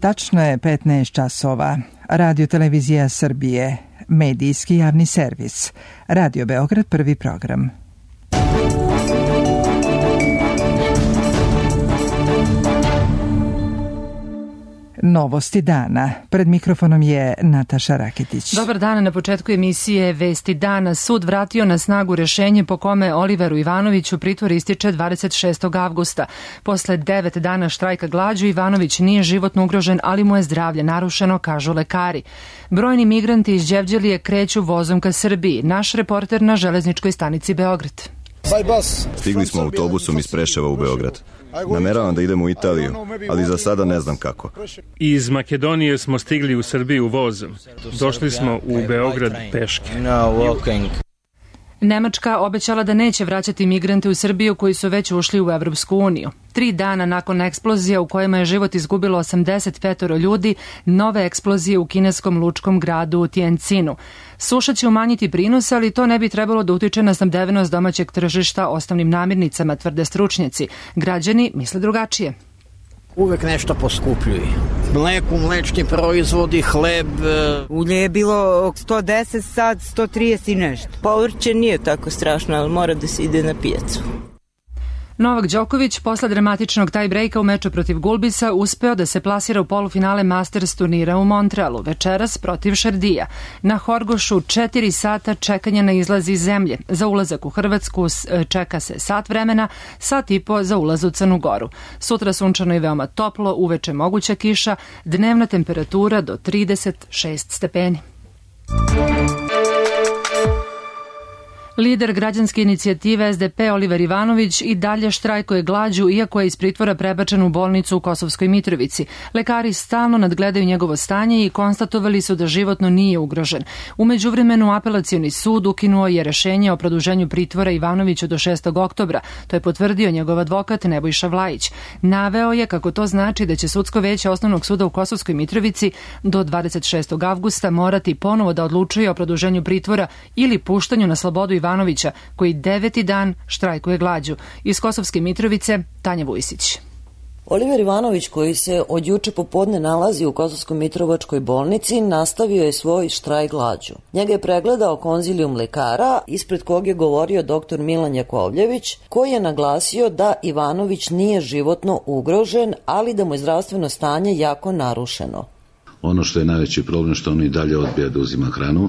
Tačno je 15 časova. Radio Televizija Srbije, medijski javni servis. Radio Beograd, prvi program. Novosti dana. Pred mikrofonom je Nataša Raketić. Dobar dan. Na početku emisije Vesti dana. Sud vratio na snagu rešenje po kome Oliveru Ivanoviću pritvor ističe 26. avgusta. Posle 9 dana štrajka glađu Ivanović nije životno ugrožen, ali mu je zdravlje narušeno, kažu lekari. Brojni migranti iz Đevđelije kreću vozom ka Srbiji. Naš reporter na železničkoj stanici Beograd. Stigli smo autobusom iz Preševa u Beograd. Nameravam da idemo u Italiju, ali za sada ne znam kako. Iz Makedonije smo stigli u Srbiju vozom. Došli smo u Beograd peške. Nemačka obećala da neće vraćati migrante u Srbiju koji su već ušli u Evropsku uniju. 3 dana nakon eksplozija u kojima je život izgubilo 85 ljudi, nove eksplozije u kineskom lučkom gradu Tiencinu. Suša će umanjiti prinos, ali to ne bi trebalo da utiče na snabdevenost domaćeg tržišta osnovnim namirnicama, tvrde stručnjaci. Građani misle drugačije. Uvek nešto poskupljuje. Mleku, mlečni proizvodi, hleb. Ulje je bilo 110, sad 130 i nešto. Povrće nije tako strašno, ali mora da se ide na pijacu. Novak Đoković posle dramatičnog taj-brejka u meču protiv Gulbisa uspeo da se plasira u polufinale Masters turnira u Montrealu, večeras protiv Šardija. Na Horgošu 4 sata čekanja na izlaz iz zemlje. Za ulazak u Hrvatsku čeka se sat vremena, sat i po za ulaz u Crnu Goru. Sutra sunčano i veoma toplo, uveče moguća kiša, dnevna temperatura do 36 stepeni. Lider građanske inicijative SDP Oliver Ivanović i dalje štrajkuje glađu, iako je iz pritvora prebačen u bolnicu u Kosovskoj Mitrovici. Lekari stalno nadgledaju njegovo stanje i konstatovali su da životno nije ugrožen. U međuvremenu apelacioni sud ukinuo je rešenje o produženju pritvora Ivanoviću do 6. oktobra. To je potvrdio njegov advokat Nebojša Vlajić. Naveo je kako to znači da će sudsko veće Osnovnog suda u Kosovskoj Mitrovici do 26. avgusta morati ponovo da odlučuje o produženju pritvora ili puštanju na slobodu Ivanovića, koji 9. dan štrajkuje glađu. Iz Kosovske Mitrovice, Tanja Vujisić. Oliver Ivanović, koji se od juče popodne nalazi u Kosovsko-Mitrovačkoj bolnici, nastavio je svoj štrajk glađu. Njega je pregledao konzilijum lekara, ispred kog je govorio dr. Milan Jakovljević, koji je naglasio da Ivanović nije životno ugrožen, ali da mu je zdravstveno stanje jako narušeno. Ono što je najveći problem, što on i dalje odbija da uzima hranu.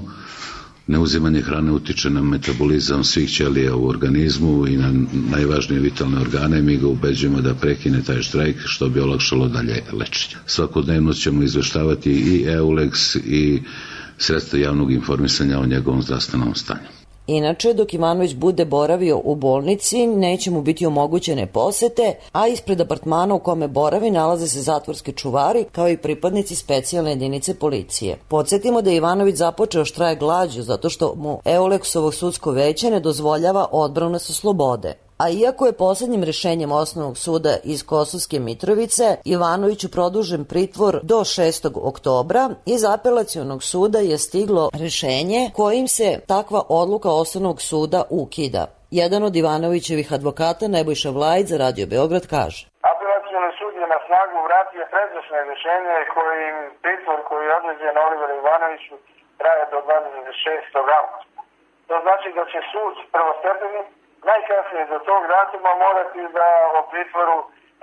Neuzimanje hrane utiče na metabolizam svih ćelija u organizmu i na najvažnije vitalne organe. Mi ga ubeđujemo da prekine taj štrajk, što bi olakšalo dalje lečenje. Svakodnevno ćemo izveštavati i EULEX i sredstva javnog informisanja o njegovom zdravstvenom stanju. Inače, dok Ivanović bude boravio u bolnici, neće mu biti omogućene posete, a ispred apartmana u kome boravi nalaze se zatvorski čuvari, kao i pripadnici specijalne jedinice policije. Podsjetimo da je Ivanović započeo štrajk glađu zato što mu EULEX-ovo sudsko veće ne dozvoljava odbranu sa slobode. A iako je poslednjim rešenjem Osnovnog suda iz Kosovske Mitrovice Ivanoviću produžen pritvor do 6. oktobra, iz apelacionog suda je stiglo rešenje kojim se takva odluka Osnovnog suda ukida. Jedan od Ivanovićevih advokata, Nebojša Vlajić, za Radio Beograd kaže: Apelacioni sud je na snagu vratio pređašnje rešenje kojim pritvor koji je određen Oliveru Ivanoviću traje do 26. avgusta. To znači da će sud prvostepeni najkasnije do tog datuma morati da o pritvoru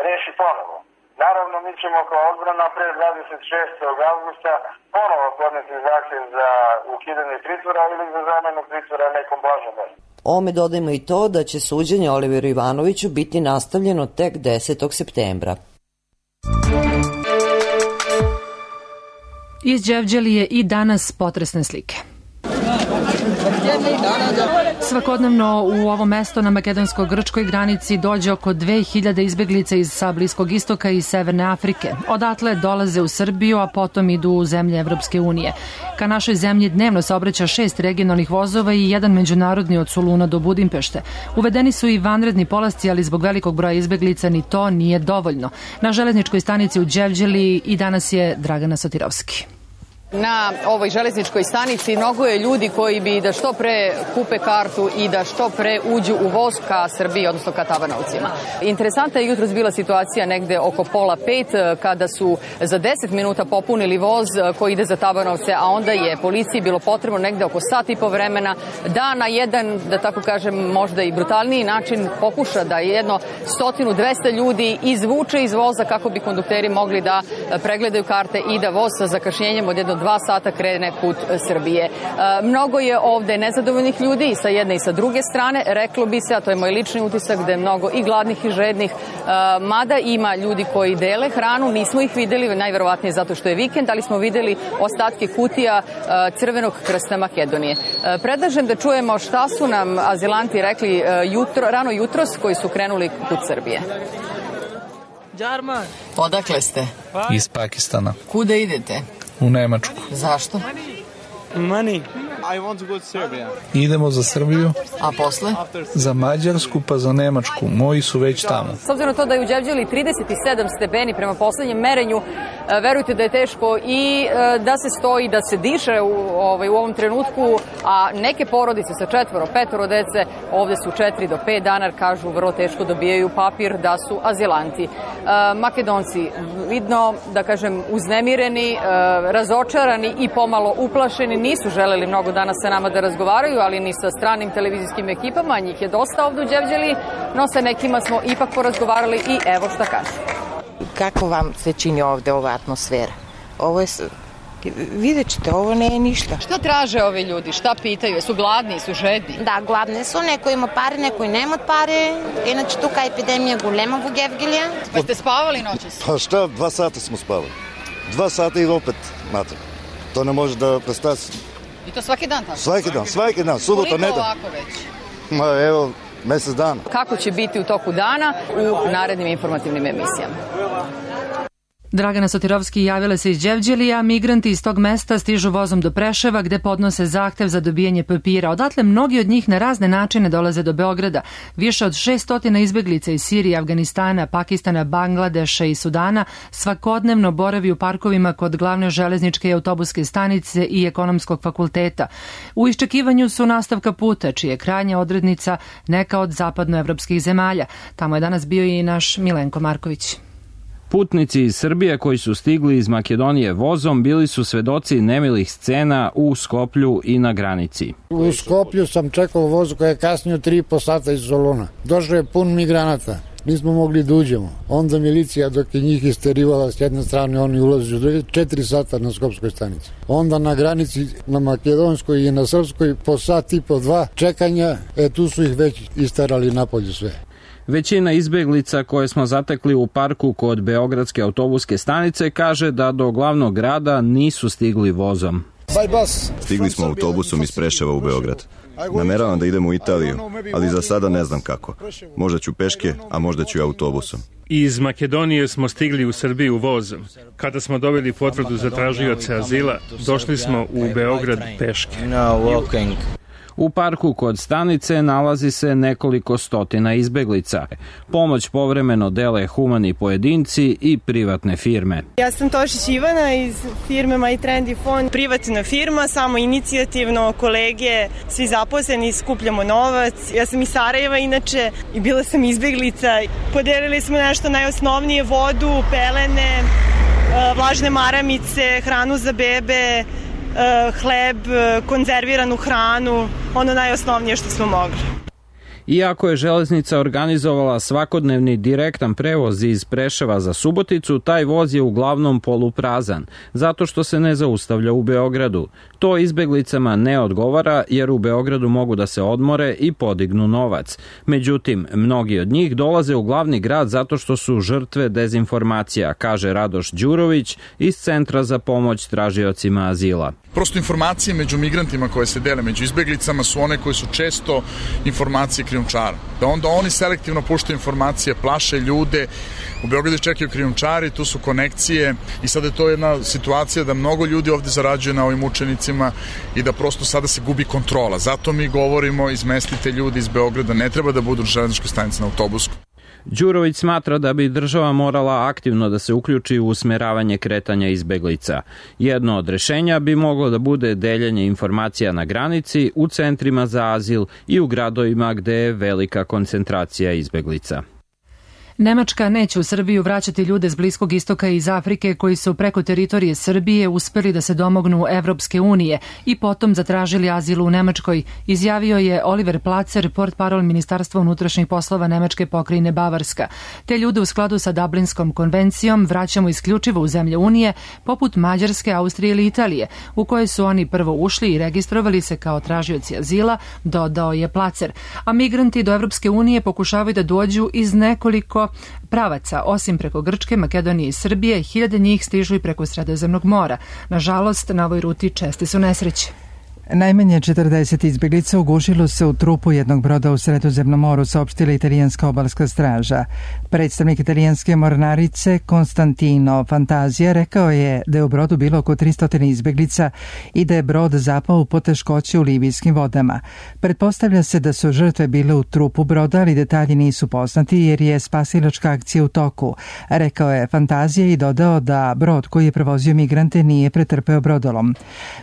reši ponovo. Naravno, mi ćemo kao odbrana pre 26. avgusta ponovo podneti zahtev za ukidanje pritvora ili za zamenu pritvora nekom blažom merom. Ome dodajmo i to da će suđenje Oliveru Ivanoviću biti nastavljeno tek 10. septembra. Iz Đevđelije i danas potresne slike. Svakodnevno u ovo mesto na makedonsko-grčkoj granici dođe oko 2000 izbeglica iz sa Bliskog istoka i Severne Afrike. Odatle dolaze u Srbiju, a potom idu u zemlje Evropske unije. Ka našoj zemlji dnevno saobraća 6 regionalnih vozova i jedan međunarodni od Soluna do Budimpešte. Uvedeni su i vanredni polasci, ali zbog velikog broja izbeglica ni to nije dovoljno. Na železničkoj stanici u Đevđeliji i danas je Dragana Sotirovski. Na ovoj železničkoj stanici mnogo je ljudi koji bi da što pre kupe kartu i da što pre uđu u voz ka Srbiji, odnosno ka Tabanovcima. Interesantna je jutros bila situacija negde oko 4:30 kada su za 10 minuta popunili voz koji ide za Tabanovce, a onda je policiji bilo potrebno negde oko sat i po vremena da na jedan, da tako kažem, možda i brutalniji način pokuša da jedno 100-200 ljudi izvuče iz voza kako bi kondukteri mogli da pregledaju karte i da voz sa zakašnjenjem od jedno 2 sata krene put Srbije. Mnogo je ovde nezadovoljnih ljudi i sa jedne i sa druge strane, reklo bi se, a to je moj lični utisak, da je mnogo i gladnih i žednih, mada ima ljudi koji dele hranu, nismo ih videli, najverovatnije zato što je vikend, ali smo videli ostatke kutija Crvenog krsta Makedonije. Predlažem da čujemo šta su nam azilanti rekli rano jutros koji su krenuli put Srbije. Odakle ste? Iz Pakistana. Kuda idete? U Nemačku. Zašto? Money. I want to go to Serbia. Idemo za Srbiju. A posle? Za Mađarsku pa za Nemačku. Moji su već tamo. S obzirom na to da je u Đevđeli 37 stepeni prema poslednjem merenju, verujte da je teško i da se stoji, da se diše u ovom trenutku, a neke porodice sa 4-5 dece ovde su 4 do 5 dana, kažu vrlo teško dobijaju papir da su azilanti. Makedonci vidno, da kažem, uznemireni, razočarani i pomalo uplašeni, nisu želeli mnogo danas sa nama da razgovaraju, ali ni sa stranim televizijskim ekipama, njih je dosta ovde u Đevđeli, no sa nekima smo ipak porazgovarali i evo šta kažu. Kako vam se čini ovde ova atmosfera? Ovo je, vidjet ćete, ovo ne je ništa. Šta traže ovi ljudi? Šta pitaju? Su gladni, su žedni? Да, гладни са, некои има пари, некои немат пари. Иначе тук епидемия голема во Гевгелија. Pa ste spavali noćas? Pa šta, 2 sata smo spavali. 2 sata i opet mater. To ne može da predstavi. I to svaki dan tako? Svaki dan, subota, nedjelja. Koliko ovako već? Ma evo, mesec dana. Kako će biti u toku dana u narednim informativnim emisijama? Dragana Sotirovski javila se iz Đevđelija, migranti iz tog mesta stižu vozom do Preševa gde podnose zahtev za dobijanje papira. Odatle mnogi od njih na razne načine dolaze do Beograda. Više od 600 izbeglica iz Sirije, Afganistana, Pakistana, Bangladeša i Sudana svakodnevno boravi u parkovima kod glavne železničke i autobuske stanice i ekonomskog fakulteta. U iščekivanju su nastavka puta, čija je krajnja odrednica neka od zapadnoevropskih zemalja. Tamo je danas bio i naš Milenko Marković. Putnici iz Srbije koji su stigli iz Makedonije vozom bili su svedoci nemilih scena u Skoplju i na granici. U Skoplju sam čekao voz koji je kasnio 3,5 sata iz Soluna. Došao je pun migranata. Nismo mogli da uđemo. Onda milicija dok je njih isterivala s jedne strane, oni ulazi u druge, 4 sata na Skopskoj stanici. Onda na granici na Makedonskoj i na Srpskoj po sat i po 2 čekanja, tu su ih već isterali napolju sve. Većina izbeglica koje smo zatekli u parku kod Beogradske autobuske stanice kaže da do glavnog grada nisu stigli vozom. Stigli smo autobusom iz Preševa u Beograd. Nameravam da idem u Italiju, ali za sada ne znam kako. Možda ću peške, a možda ću i autobusom. Iz Makedonije smo stigli u Srbiju vozom. Kada smo dobili potvrdu za tražioce azila, došli smo u Beograd peške. U parku kod stanice nalazi se nekoliko stotina izbeglica. Pomoć povremeno dele humani pojedinci i privatne firme. Ja sam Tošić Ivana iz firme My Trendy Fond. Privatna firma, samo inicijativno, kolege, svi zaposleni, skupljamo novac. Ja sam iz Sarajeva inače i bila sam izbeglica. Podelili smo nešto najosnovnije, vodu, pelene, vlažne maramice, hranu za bebe, hleb, konzerviranu hranu, ono najosnovnije što smo mogli. Iako je železnica organizovala svakodnevni direktan prevoz iz Preševa za Suboticu, taj voz je uglavnom poluprazan, zato što se ne zaustavlja u Beogradu. To izbeglicama ne odgovara jer u Beogradu mogu da se odmore i podignu novac. Međutim, mnogi od njih dolaze u glavni grad zato što su žrtve dezinformacija, kaže Radoš Đurović iz Centra za pomoć tražiocima azila. Prosto informacije među migrantima koje se dele među izbeglicama su one koje su često informacije krijumčara. Da onda oni selektivno puštaju informacije, plaše ljude. U Beogradu čekaju krijumčari, tu su konekcije i sada je to jedna situacija da mnogo ljudi ovde zarađuje na ovim učenicima i da prosto sada se gubi kontrola. Zato mi govorimo izmestite ljudi iz Beograda, ne treba da budu u železničkoj stanici na autobusku. Đurović smatra da bi država morala aktivno da se uključi u usmeravanje kretanja izbeglica. Jedno od rešenja bi moglo da bude deljenje informacija na granici, u centrima za azil i u gradovima gde je velika koncentracija izbeglica. Nemačka neće u Srbiju vraćati ljude s Bliskog istoka i iz Afrike koji su preko teritorije Srbije uspeli da se domognu Evropske unije i potom zatražili azil u Nemačkoj, izjavio je Oliver Placer, portparol Ministarstva unutrašnjih poslova Nemačke pokrajine Bavarska. Te ljude u skladu sa Dublinskom konvencijom vraćamo isključivo u zemlje Unije, poput Mađarske, Austrije ili Italije, u koje su oni prvo ušli i registrovali se kao tražioci azila, dodao je Placer. A migranti do Evropske unije pokušavaju da dođu iz nekoliko pravaca, osim preko Grčke, Makedonije i Srbije, hiljade njih stižu i preko Sredozemnog mora. Nažalost, na ovoj ruti česte su nesreće. Najmanje 40 izbeglica ugušilo se u trupu jednog broda u Sredozemnom moru, saopštila italijanska obalska straža. Predstavnik italijanske mornarice Konstantino Fantazija rekao je da je u brodu bilo oko 300 izbeglica i da je brod zapao u poteškoće u libijskim vodama. Pretpostavlja se da su žrtve bile u trupu broda, ali detalji nisu poznati jer je spasilačka akcija u toku, rekao je Fantazija i dodao da brod koji je prevozio migrante nije pretrpeo brodolom.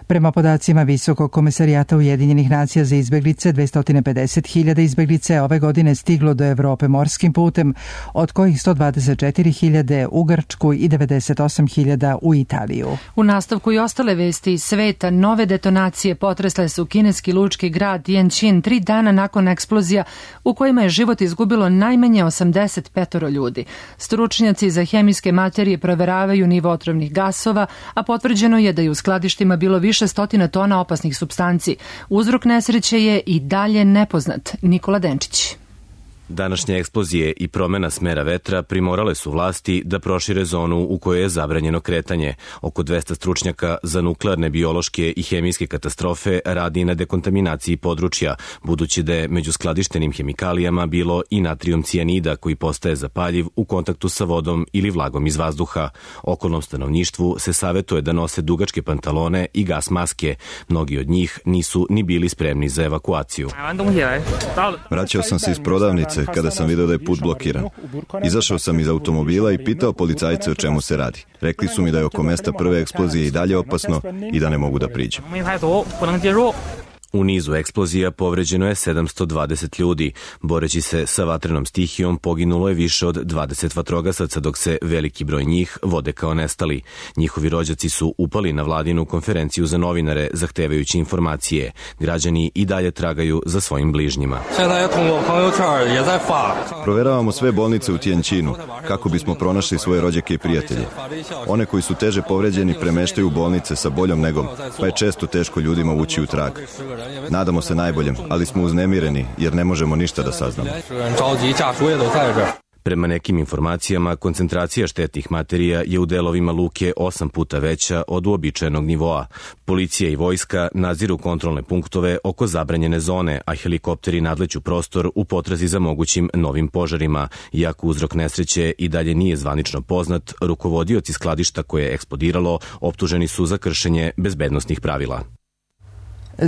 Prema podacima Visokog Komesarijata Ujedinjenih nacija za izbeglice, 250.000 izbeglice ove godine stiglo do Evrope morskim putem, od kojih 124.000 u Grčku i 98.000 u Italiju. U nastavku i ostale vesti iz sveta, nove detonacije potresle su kineski lučki grad Tianjin 3 dana nakon eksplozija u kojima je život izgubilo najmanje 85 ljudi. Stručnjaci za hemijske materije proveravaju nivo otrovnih gasova, a potvrđeno je da je u skladištima bilo više stotina tona opasnih supstanci. Uzrok nesreće je i dalje nepoznat. Nikola Denčić. Današnje eksplozije i promena smera vetra primorale su vlasti da prošire zonu u kojoj je zabranjeno kretanje. Oko 200 stručnjaka za nuklearne, biološke i hemijske katastrofe radi na dekontaminaciji područja, budući da je među skladištenim hemikalijama bilo i natrijum cijanida koji postaje zapaljiv u kontaktu sa vodom ili vlagom iz vazduha. Okolnom stanovništvu se savetuje da nose dugačke pantalone i gas maske. Mnogi od njih nisu ni bili spremni za evakuaciju. Vraćao sam se iz prodavnice kada sam video da je put blokiran. Izašao sam iz automobila i pitao policajce o čemu se radi. Rekli su mi da je oko mesta prve eksplozije i dalje opasno i da ne mogu da priđem. U nizu eksplozija povređeno je 720 ljudi. Boreći se sa vatrenom stihijom poginulo je više od 20 vatrogasaca, dok se veliki broj njih vode kao nestali. Njihovi rođaci su upali na vladinu konferenciju za novinare zahtevajući informacije. Građani i dalje tragaju za svojim bližnjima. Proveravamo sve bolnice u Tianjinu kako bismo pronašli svoje rođake i prijatelje. One koji su teže povređeni premeštaju u bolnice sa boljom negom, pa je često teško ljudima ući u trag. Nadamo se najboljem, ali smo uznemireni jer ne možemo ništa da saznamo. Prema nekim informacijama, koncentracija štetnih materija je u delovima luke 8 puta veća od uobičajenog nivoa. Policija i vojska nadziru kontrolne punktove oko zabranjene zone, a helikopteri nadleću prostor u potrazi za mogućim novim požarima. Iako uzrok nesreće i dalje nije zvanično poznat, rukovodioci skladišta koje je eksplodiralo optuženi su za kršenje bezbednosnih pravila.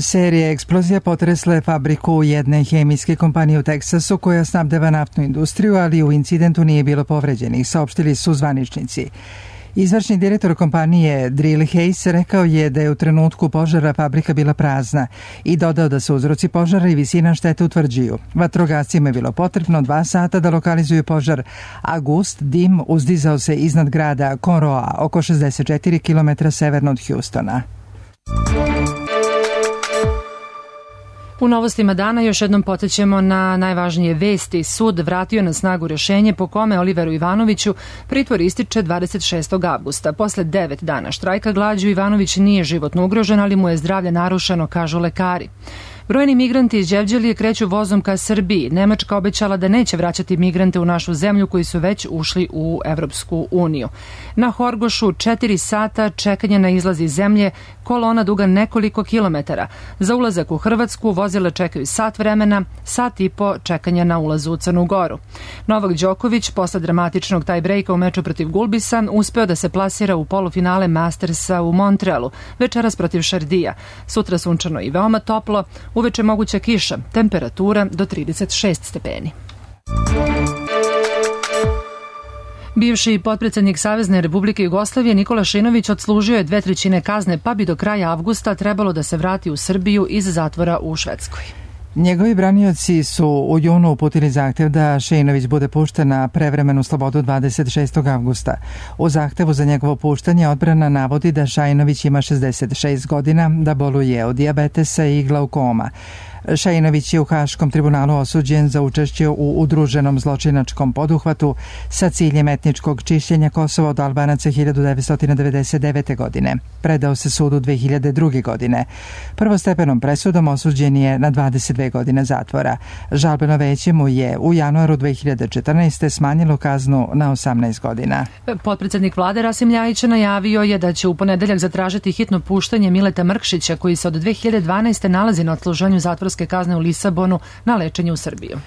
Serija eksplozija potresla je fabriku jedne hemijske kompanije u Teksasu koja snabdeva naftnu industriju, ali u incidentu nije bilo povređenih, saopštili su zvaničnici. Izvršni direktor kompanije Drill Hayes rekao je da je u trenutku požara fabrika bila prazna i dodao da se uzroci požara i visina štete utvrđuju. Vatrogascima je bilo potrebno 2 sata da lokalizuju požar, a gust dim uzdizao se iznad grada Conroe, oko 64 km severno od Houstona. U novostima dana još jednom podsjećamo na najvažnije vesti. Sud vratio na snagu rešenje po kome Oliveru Ivanoviću pritvor ističe 26. avgusta. Posle 9 dana štrajka glađu Ivanović nije životno ugrožen, ali mu je zdravlje narušeno, kažu lekari. Brojni migranti iz Đevđelije kreću vozom ka Srbiji. Nemačka obećala da neće vraćati migrante u našu zemlju koji su već ušli u Evropsku uniju. Na Horgošu 4 sata čekanja na izlaz iz zemlje, kolona duga nekoliko kilometara. Za ulazak u Hrvatsku vozila čekaju sat vremena, sat i po čekanja na ulazu u Crnu Goru. Novak Đoković posle dramatičnog tie-breaka u meču protiv Gulbisa uspeo da se plasira u polufinale Mastersa u Montrealu, večeras protiv Šardija. Sutra sunčano i veoma toplo, uveče moguća kiša, temperatura do 36 stepeni. Bivši potpredsednik Savezne Republike Jugoslavije Nikola Šinović odslužio je 2/3 kazne, pa bi do kraja avgusta trebalo da se vrati u Srbiju iz zatvora u Švedskoj. Njegovi branioci su u junu uputili zahtev da Šinović bude pušten na prevremenu slobodu 26. avgusta. U zahtevu za njegovo puštanje odbrana navodi da Šajinović ima 66 godina, da boluje od dijabetesa i glaukoma. Šajinović je u Haškom tribunalu osuđen za učešće u udruženom zločinačkom poduhvatu sa ciljem etničkog čišćenja Kosova od Albanaca 1999. godine. Predao se sudu 2002. godine. Prvostepenom presudom osuđen je na 22 godine zatvora. Žalbeno veće mu je u januaru 2014. smanjilo kaznu na 18 godina. Potpredsednik vlade Rasim Ljajić najavio je da će u ponedeljak zatražiti hitno puštanje Mileta Mrkšića, koji se od 2012. nalazi na odsluženju zatvorske kazne u Lisabonu, na lečenju u Srbiju.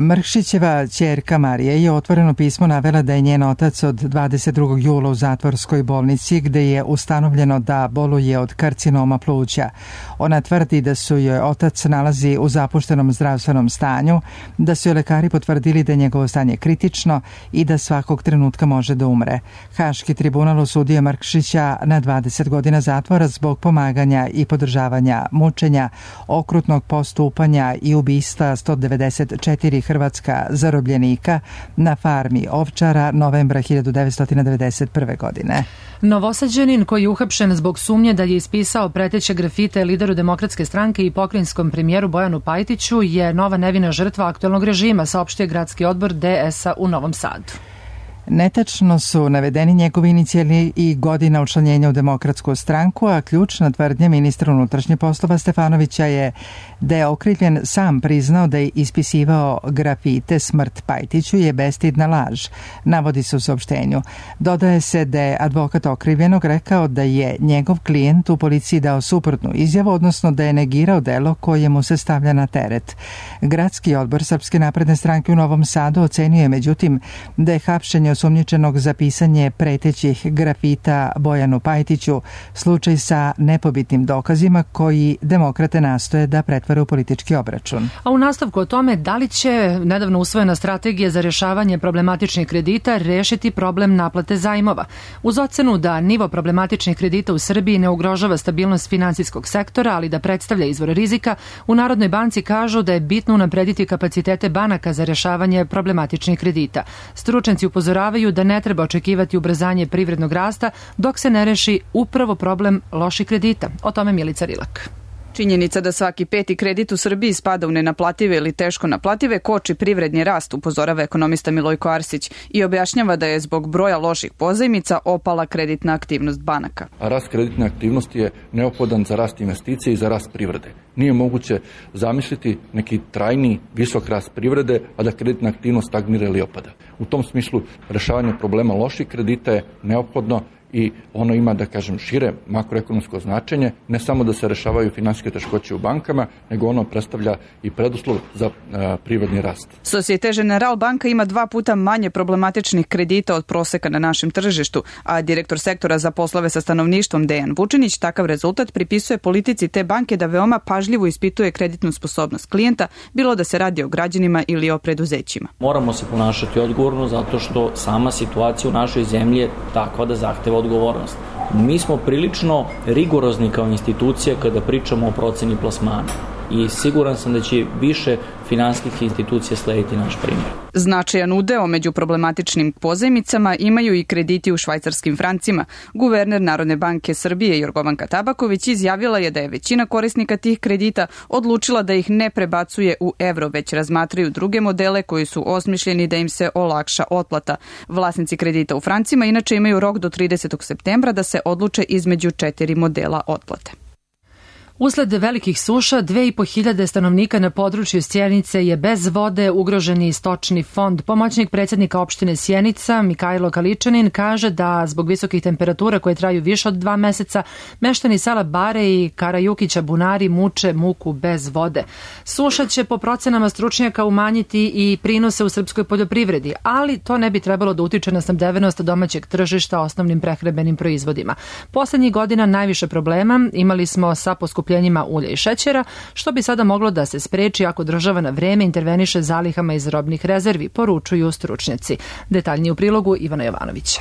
Mrkšićeva ćerka Marija je otvoreno pismo navela da je njen otac od 22. jula u zatvorskoj bolnici, gde je ustanovljeno da boluje od karcinoma pluća. Ona tvrdi da su joj otac nalazi u zapuštenom zdravstvenom stanju, da su joj lekari potvrdili da je njegovo stanje kritično i da svakog trenutka može da umre. Haški tribunal osudio Mrkšića na 20 godina zatvora zbog pomaganja i podržavanja mučenja, okrutnog postupanja i ubistva 194 hrvatska zarobljenika na farmi ovčara novembra 1991. godine. Novosađanin koji je uhapšen zbog sumnje da je ispisao preteće grafite lideru Demokratske stranke i pokrajinskom premijeru Bojanu Pajtiću je nova nevina žrtva aktuelnog režima, saopštio gradski odbor DS-a u Novom Sadu. Netačno su navedeni njegovi inicijali i godina učlanjenja u Demokratsku stranku, a ključna tvrdnja ministra unutrašnjih poslova Stefanovića je da je okrivljen sam priznao da je ispisivao grafite Smrt Pajtiću je bestidna laž, navodi se u saopštenju. Dodaje se da je advokat okrivljenog rekao da je njegov klijent u policiji dao suprotnu izjavu, odnosno da je negirao delo koje mu se stavlja na teret. Gradski odbor Srpske napredne stranke u Novom Sadu ocenio je međutim da je hapšenje osumnjičenog za pisanje pretećih grafita Bojanu Pajtiću slučaj sa nepobitnim dokazima koji demokrate nastoje da pretvore u politički obračun. A u nastavku o tome da li će nedavno usvojena strategija za rješavanje problematičnih kredita rešiti problem naplate zajmova. Uz ocenu da nivo problematičnih kredita u Srbiji ne ugrožava stabilnost finansijskog sektora, ali da predstavlja izvor rizika, u Narodnoj banci kažu da je bitno unaprediti kapacitete banaka za rješavanje problematičnih kredita. Stručnjaci upozoravaju da ne treba očekivati ubrzanje privrednog rasta dok se ne reši upravo problem loših kredita. O tome Milica Rilak. Činjenica da svaki peti kredit u Srbiji spada u nenaplative ili teško naplative koči privredni rast, upozorava ekonomista Milojko Arsić i objašnjava da je zbog broja loših pozajmica opala kreditna aktivnost banaka. A rast kreditne aktivnosti je neophodan za rast investicije i za rast privrede. Nije moguće zamisliti neki trajni, visok rast privrede, a da kreditna aktivnost stagnira ili opada. U tom smislu rešavanje problema loših kredita je neophodno i ono ima, da kažem, šire makroekonomsko značenje, ne samo da se rešavaju finansijske teškoće u bankama, nego ono predstavlja i preduslov za privredni rast. Societe Generale banka ima 2 puta manje problematičnih kredita od proseka na našem tržištu, a direktor sektora za poslove sa stanovništvom Dejan Vučinić takav rezultat pripisuje politici te banke da veoma pažljivo ispituje kreditnu sposobnost klijenta, bilo da se radi o građanima ili o preduzećima. Moramo se ponašati odgovorno zato što sama situacija u našoj zemlji je takva da zahteva odgovornost. Mi smo prilično rigorozni kao institucija kada pričamo o proceni plasmana i siguran sam da će više finansijskih institucija slediti naš primjer. Značajan udeo među problematičnim pozajmicama imaju i krediti u švajcarskim francima. Guverner Narodne banke Srbije Jorgovanka Tabaković izjavila je da je većina korisnika tih kredita odlučila da ih ne prebacuje u evro, već razmatraju druge modele koji su osmišljeni da im se olakša otplata. Vlasnici kredita u francima inače imaju rok do 30. septembra da se odluče između 4 modela otplate. Usled velikih suša, 2500 stanovnika na području Sjenice je bez vode, ugroženi stočni fond. Pomoćnik predsjednika opštine Sjenica, Mikajlo Kaličanin, kaže da zbog visokih temperatura koje traju više od 2 meseca, meštani sela Bare i Karajukića bunari muče muku bez vode. Suša će po procenama stručnjaka umanjiti i prinose u srpskoj poljoprivredi, ali to ne bi trebalo da utiče na snabdevenost domaćeg tržišta osnovnim prehrambenim proizvodima. Poslednjih godina najviše problema imali smo sa poskupljenjem poskupljenjima ulja i šećera, što bi sada moglo da se spreči ako država na vreme interveniše zalihama iz robnih rezervi, poručuju stručnjaci. Detaljnije u prilogu Ivana Jovanovića.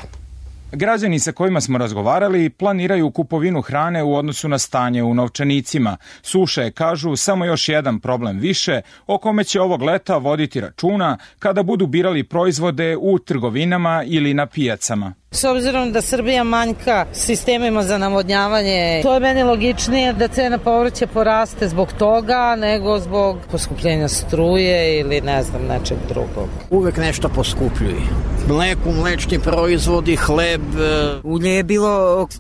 Građani sa kojima smo razgovarali planiraju kupovinu hrane u odnosu na stanje u novčanicima. Suša je, kažu, samo još jedan problem više o kome će ovog leta voditi računa kada budu birali proizvode u trgovinama ili na pijacama. S obzirom da Srbija manjka sistemima za navodnjavanje, to je meni logičnije da cena povrća poraste zbog toga nego zbog poskupljenja struje ili ne znam nečeg drugog. Uvek nešto poskupljuje. Mleko, mlečni proizvodi, hleb. Ulje je bilo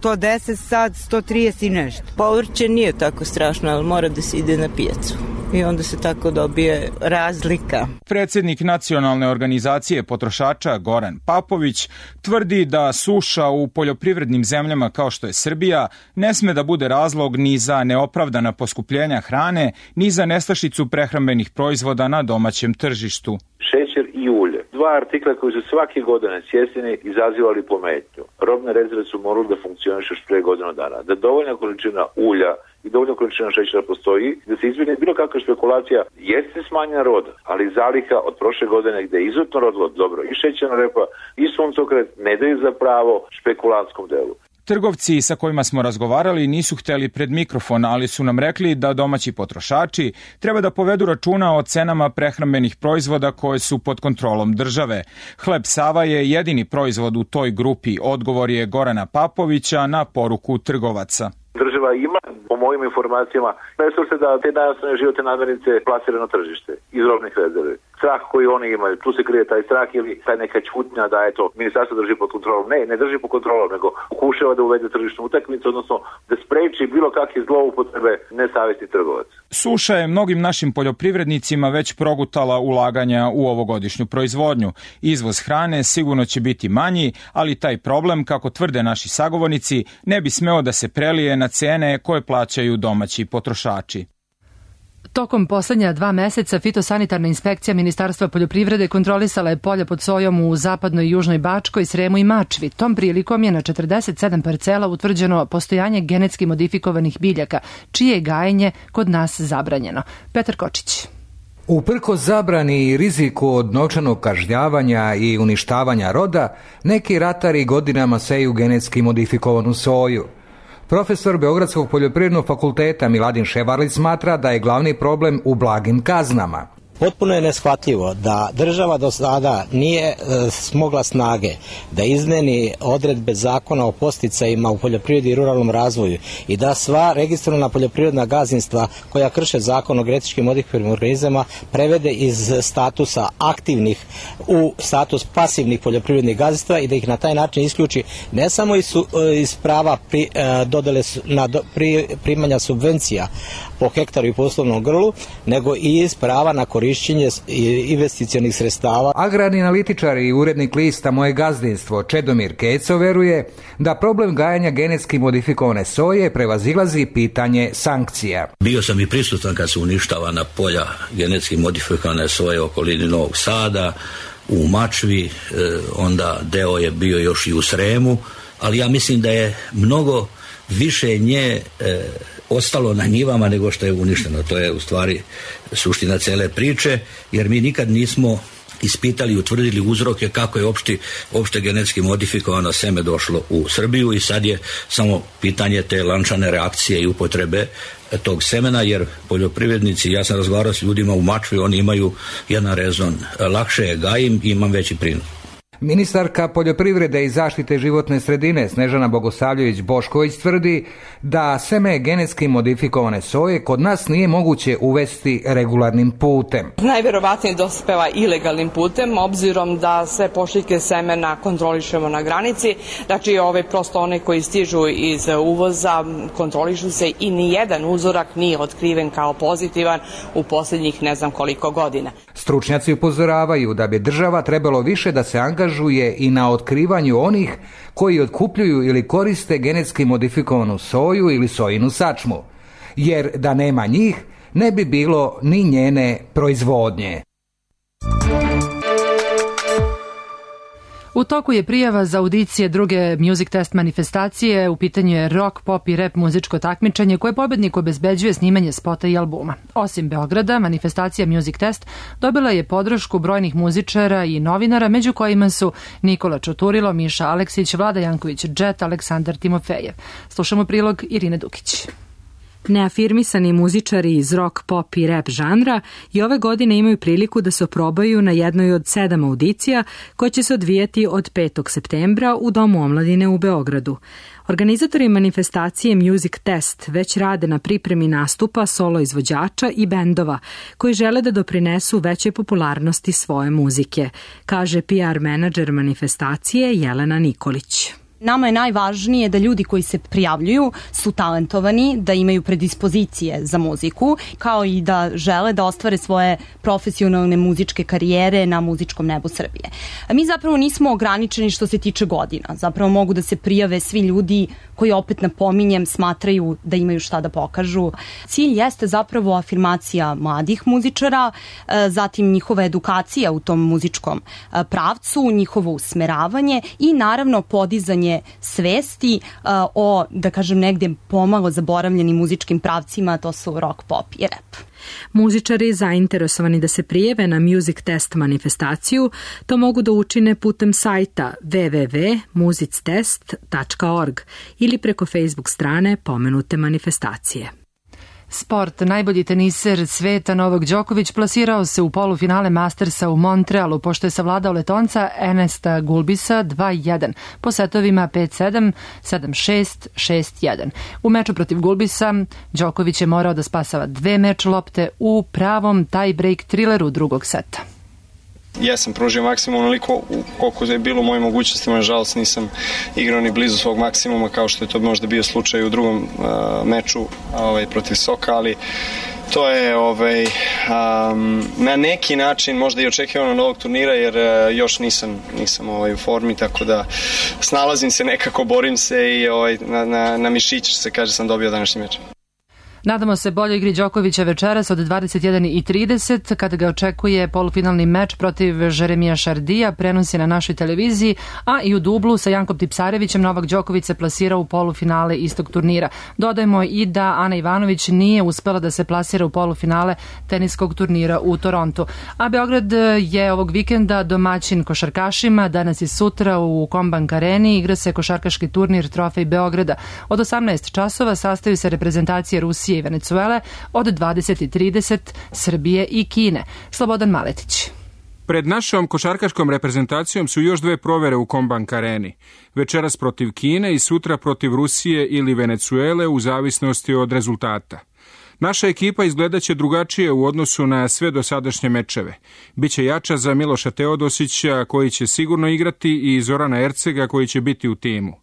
110, sad 130 i nešto. Povrće nije tako strašno, ali mora da se ide na pijacu. I onda se tako dobije razlika. Predsjednik Nacionalne organizacije potrošača Goran Papović tvrdi da suša u poljoprivrednim zemljama kao što je Srbija ne sme da bude razlog ni za neopravdana poskupljenja hrane, ni za nestašicu prehrambenih proizvoda na domaćem tržištu. Šećer i ulje. Dva artikla koji su svake godine svjesni izazivali pometnju. Robne rezerve su morali da funkcionišu još pre godinu dana. Da dovoljna količina ulja i dovoljna količina šećera postoji, da se izbjegne bilo kakva špekulacija, jeste smanjena roda, ali zaliha od prošle godine gde je izuzetno rodilo dobro i šećerna repa i suncokret ne daju za pravo špekulantskom delu. Trgovci sa kojima smo razgovarali nisu hteli pred mikrofon, ali su nam rekli da domaći potrošači treba da povedu računa o cenama prehrambenih proizvoda koje su pod kontrolom države. Hleb Sava je jedini proizvod u toj grupi, odgovor je Gorana Papovića na poruku trgovaca. Država ima, po mojim informacijama, resurse da te najosnovne životne namirnice plasira na tržište iz robnih rezervi. Strah koji oni imaju, tu se krije taj strah ili taj neka ćutnja da eto, ministarstvo drži pod kontrolom. Ne drži pod kontrolom, nego pokušava da uvede tržišnu utakmicu, odnosno da spreči bilo kakve zloupotrebe nesavjesni trgovac. Suša je mnogim našim poljoprivrednicima već progutala ulaganja u ovogodišnju proizvodnju. Izvoz hrane sigurno će biti manji, ali taj problem, kako tvrde naši sagovornici, ne bi smeo da se prelije na cene koje plaćaju domaći potrošači. Tokom poslednja 2 meseca fitosanitarna inspekcija Ministarstva poljoprivrede kontrolisala je polja pod sojom u zapadnoj i južnoj Bačkoj, Sremu i Mačvi. Tom prilikom je na 47 parcela utvrđeno postojanje genetski modifikovanih biljaka, čije je gajenje kod nas zabranjeno. Petar Kočić. Uprkos zabrani i riziku od novčanog kažnjavanja i uništavanja roda, neki ratari godinama seju genetski modifikovanu soju. Profesor Beogradskog poljoprivrednog fakulteta Miladin Ševarlić smatra da je glavni problem u blagim kaznama. Potpuno je neshvatljivo da država do sada nije smogla snage da izmeni odredbe zakona o podsticajima u poljoprivredi i ruralnom razvoju i da sva registrovana poljoprivredna gazdinstva koja krše zakon o genetički modifikovanim organizama prevede iz statusa aktivnih u status pasivnih poljoprivrednih gazdinstva i da ih na taj način isključi ne samo iz prava primanja subvencija po hektaru i poslovnom grlu, nego i iz prava na korišćenje investicionih sredstava. Agrarni analitičar i urednik lista Moje gazdinstvo Čedomir Keco veruje da problem gajanja genetski modifikovane soje prevazilazi pitanje sankcija. Bio sam i prisutan kad su uništavana polja genetski modifikovane soje u okolini Novog Sada, u Mačvi, onda deo je bio još i u Sremu, ali ja mislim da je mnogo više nje ostalo na njivama nego što je uništeno. To je u stvari suština cele priče, jer mi nikad nismo ispitali i utvrdili uzroke kako je opšte genetski modifikovano seme došlo u Srbiju i sad je samo pitanje te lančane reakcije i upotrebe tog semena, jer poljoprivrednici, ja sam razgovarao s ljudima u Mačvi, oni imaju jedan rezon, lakše je gajim i imam veći prinos. Ministarka poljoprivrede i zaštite životne sredine Snežana Bogosavljević-Bošković tvrdi da seme genetski modifikovane soje kod nas nije moguće uvesti regularnim putem. Najverovatnije dospeva ilegalnim putem, obzirom da sve pošiljke semena kontrolišemo na granici. Znači, prosto one koji stižu iz uvoza kontrolišu se i nijedan uzorak nije otkriven kao pozitivan u posljednjih ne znam koliko godina. Stručnjaci upozoravaju da bi država trebalo više da se angažuje i na otkrivanju onih koji otkupljuju ili koriste genetski modifikovanu soju ili sojinu sačmu, jer da nema njih ne bi bilo ni njene proizvodnje. U toku je prijava za audicije druge Music Test manifestacije. U pitanju je rock, pop i rap muzičko takmičenje koje pobedniku obezbeđuje snimanje spota i albuma. Osim Beograda, manifestacija Music Test dobila je podršku brojnih muzičara i novinara, među kojima su Nikola Čoturilo, Miša Aleksić, Vlada Janković Džet, Aleksandar Timofejev. Slušamo prilog Irine Dukić. Neafirmisani muzičari iz rock, pop i rap žanra i ove godine imaju priliku da se oprobaju na jednoj od 7 audicija koje će se odvijati od 5. septembra u Domu omladine u Beogradu. Organizatori manifestacije Music Test već rade na pripremi nastupa solo izvođača i bendova koji žele da doprinesu većoj popularnosti svoje muzike, kaže PR menadžer manifestacije Jelena Nikolić. Nama je najvažnije da ljudi koji se prijavljuju su talentovani, da imaju predispozicije za muziku, kao i da žele da ostvare svoje profesionalne muzičke karijere na muzičkom nebu Srbije. Mi zapravo nismo ograničeni što se tiče godina. Zapravo mogu da se prijave svi ljudi koji, opet napominjem, smatraju da imaju šta da pokažu. Cilj jeste zapravo afirmacija mladih muzičara, zatim njihova edukacija u tom muzičkom pravcu, njihovo usmeravanje i naravno podizanje svesti o, da kažem, negdje pomalo zaboravljenim muzičkim pravcima, to su rock, pop i rap. Muzičari zainteresovani da se prijave na Music Test manifestaciju to mogu da učine putem sajta www.musictest.org ili preko Facebook strane pomenute manifestacije. Sport. Najbolji teniser sveta Novak Đoković plasirao se u polufinale Mastersa u Montrealu, pošto je savladao Letonca Ernesta Gulbisa 2-1 po setovima 5-7, 7-6, 6-1. U meču protiv Gulbisa Đoković je morao da spasava 2 meč lopte u pravom tie-break trileru drugog seta. Jesam pružio maksimum onoliko koliko je bilo u mojim mogućnostima, nažalost nisam igrao ni blizu svog maksimuma kao što je to možda bio slučaj u drugom meču protiv Soka, ali to je na neki način možda i očekivano novog turnira, jer još nisam u formi, tako da snalazim se nekako, borim se i na mišić se kaže sam dobio današnji meč. Nadamo se boljoj igri Đokovića večeras od 21:30 kada ga očekuje polufinalni meč protiv Jeremija Šardija, prenos je na našoj televiziji, a i u dublu sa Jankom Tipsarevićem Novak Đoković se plasirao u polufinale istog turnira. Dodajmo i da Ana Ivanović nije uspela da se plasira u polufinale teniskog turnira u Torontu. A Beograd je ovog vikenda domaćin košarkašima. Danas i sutra u Kombank Areni igra se košarkaški turnir Trofej Beograda. Od 18 časova sastaju se reprezentacije Rusije i Venecuele, od 20:30 Srbije i Kine. Slobodan Maletić. Pred našom košarkaškom reprezentacijom su još 2 provere u Kombank Areni. Večeras protiv Kine i sutra protiv Rusije ili Venecuele u zavisnosti od rezultata. Naša ekipa izgledaće drugačije u odnosu na sve dosadašnje mečeve. Biće jača za Miloša Teodosića koji će sigurno igrati i Zorana Ercega koji će biti u timu.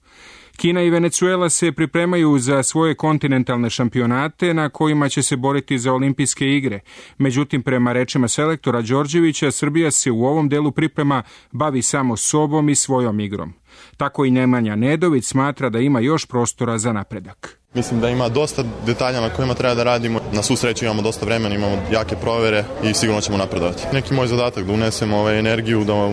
Kina i Venecuela se pripremaju za svoje kontinentalne šampionate na kojima će se boriti za olimpijske igre. Međutim, prema rečima selektora Đorđevića, Srbija se u ovom delu priprema bavi samo sobom i svojom igrom. Tako i Nemanja Nedović smatra da ima još prostora za napredak. Mislim da ima dosta detalja na kojima treba da radimo. Na svu sreću imamo dosta vremena, imamo jake provere i sigurno ćemo napredovati. Neki moj zadatak da unesem energiju, da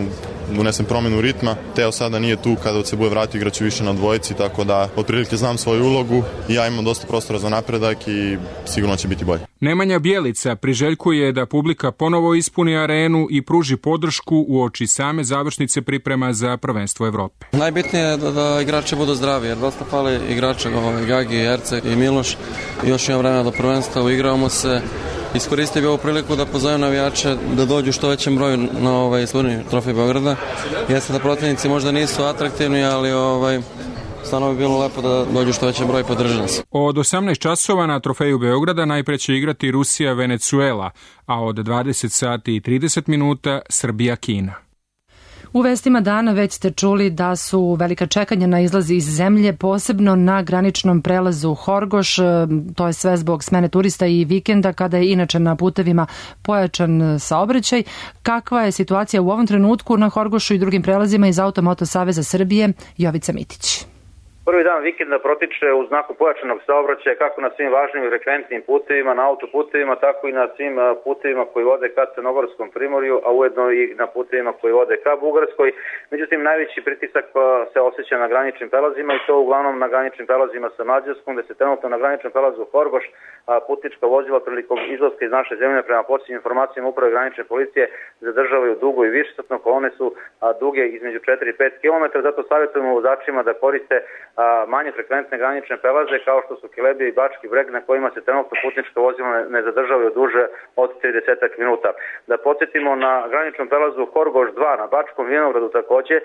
unesem promenu ritma. Teo sada nije tu, kada se bude vratio igraću više na dvojici, tako da otprilike znam svoju ulogu i ja imam dosta prostora za napredak i sigurno će biti bolje. Nemanja Bjelica priželjkuje da publika ponovo ispuni arenu i pruži podršku uoči same završnice priprema za prvenstvo Evrope. Najbitnije je da igrači budu zdravi, jer dosta fali igrača, Gagi, Erceg i Miloš. Još imamo vremena do prvenstva, uigravamo se. Iskoristio bi ovu priliku da pozovem navijače da dođu što većem broju na slurni Trofej Beograda. Jeste da protivnici možda nisu atraktivni, ali stvarno bi bilo lepo da dođu što većem broju i podrži nas. Od 18 časova na Trofeju Beograda najpre će igrati Rusija Venecuela, a od 20:30 Srbija-Kina. U vestima dana već ste čuli da su velika čekanja na izlazi iz zemlje, posebno na graničnom prelazu Horgoš. To je sve zbog smene turista i vikenda, kada je inače na putevima pojačan saobraćaj. Kakva je situacija u ovom trenutku na Horgošu i drugim prelazima iz Automoto Saveza Srbije? Jovica Mitić. Prvi dan vikenda protiče u znaku pojačanog saobraćaja kako na svim važnim i frekventnim putevima, na autoputevima, tako i na svim putevima koji vode ka Crnogorskom primorju, a ujedno i na putevima koji vode ka Bugarskoj. Međutim, najveći pritisak se osjeća na graničnim prelazima i to uglavnom na graničnim prelazima sa Mađarskom, gde se trenutno na graničnom prelazu Horgoš putnička vozila prilikom izlaska iz naše zemlje prema posljednjim informacijama uprave granične policije zadržavaju dugo i višesatno, kolone su duge između 4 i 5 km, zato savjetujemo vozačima da koriste manje frekventne granične prelaze kao što su Kelebija i Bački Breg, na kojima se trenutno putnička vozila ne zadržavaju duže od 30 minuta. Da podsjetimo, na graničnom prelazu Horgoš 2 na Bačkom Vinogradu takođe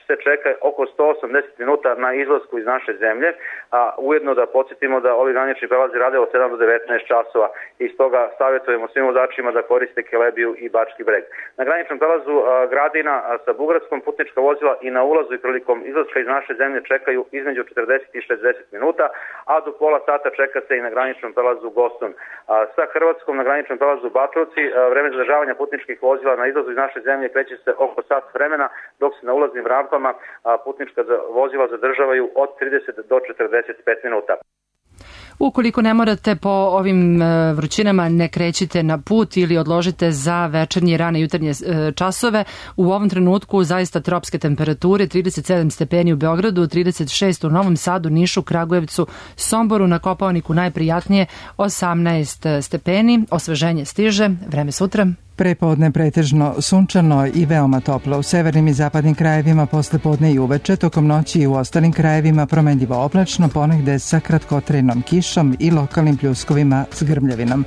se čeka oko 180 minuta na izlasku iz naše zemlje, a ujedno da podsjetimo da ovi granični prelazi rade od 7 do 19 časova i stoga savjetujemo svim vozačima da koriste Kelebiju i Bački Breg. Na graničnom prelazu Gradina sa Bugarskom putnička vozila i na ulazu i prilikom izlaska iz naše zemlje čekaju između 40 i 60 minuta, a do pola sata čeka se i na graničnom prelazu Goston. Sa Hrvatskom na graničnom prelazu Batrovci vreme zadržavanja putničkih vozila na izlazu iz naše zemlje kreće se oko sat vremena, dok se na ulaznim rampama putnička vozila zadržavaju od 30 do 45 minuta. Ukoliko ne morate po ovim vrućinama, ne krećite na put ili odložite za večernje i rane jutarnje časove. U ovom trenutku zaista tropske temperature, 37 stepeni u Beogradu, 36 u Novom Sadu, Nišu, Kragujevcu, Somboru, na Kopaoniku najprijatnije 18 stepeni. Osveženje stiže, vreme sutra. Prepodne pretežno sunčano i veoma toplo u severnim i zapadnim krajevima, posle podne i uveče, tokom noći i u ostalim krajevima promenljivo oblačno, ponegde sa kratkotrajnom kišom i lokalnim pljuskovima s grmljavinom.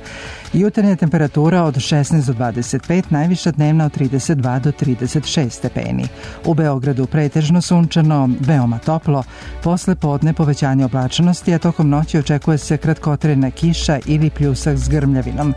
Jutarnja temperatura od 16 do 25, najviša dnevna od 32 do 36 stepeni. U Beogradu pretežno sunčano, veoma toplo, posle podne povećanje oblačnosti, a tokom noći očekuje se kratkotrajna kiša ili pljusak s grmljavinom.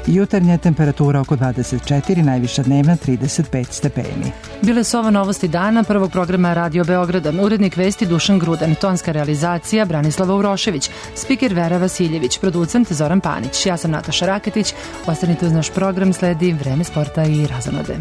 Jutarnja temperatura oko 24, najviša dnevna 35 stepeni. Bile su ovo novosti dana prvog programa Radio Beograda. Urednik vesti Dušan Grudan, tonska realizacija Branislava Urošević, spiker Vera Vasiljević, producent Zoran Panić. Ja sam Nataša Raketić. Ostanite uz naš program, sledi Vreme sporta i razonode.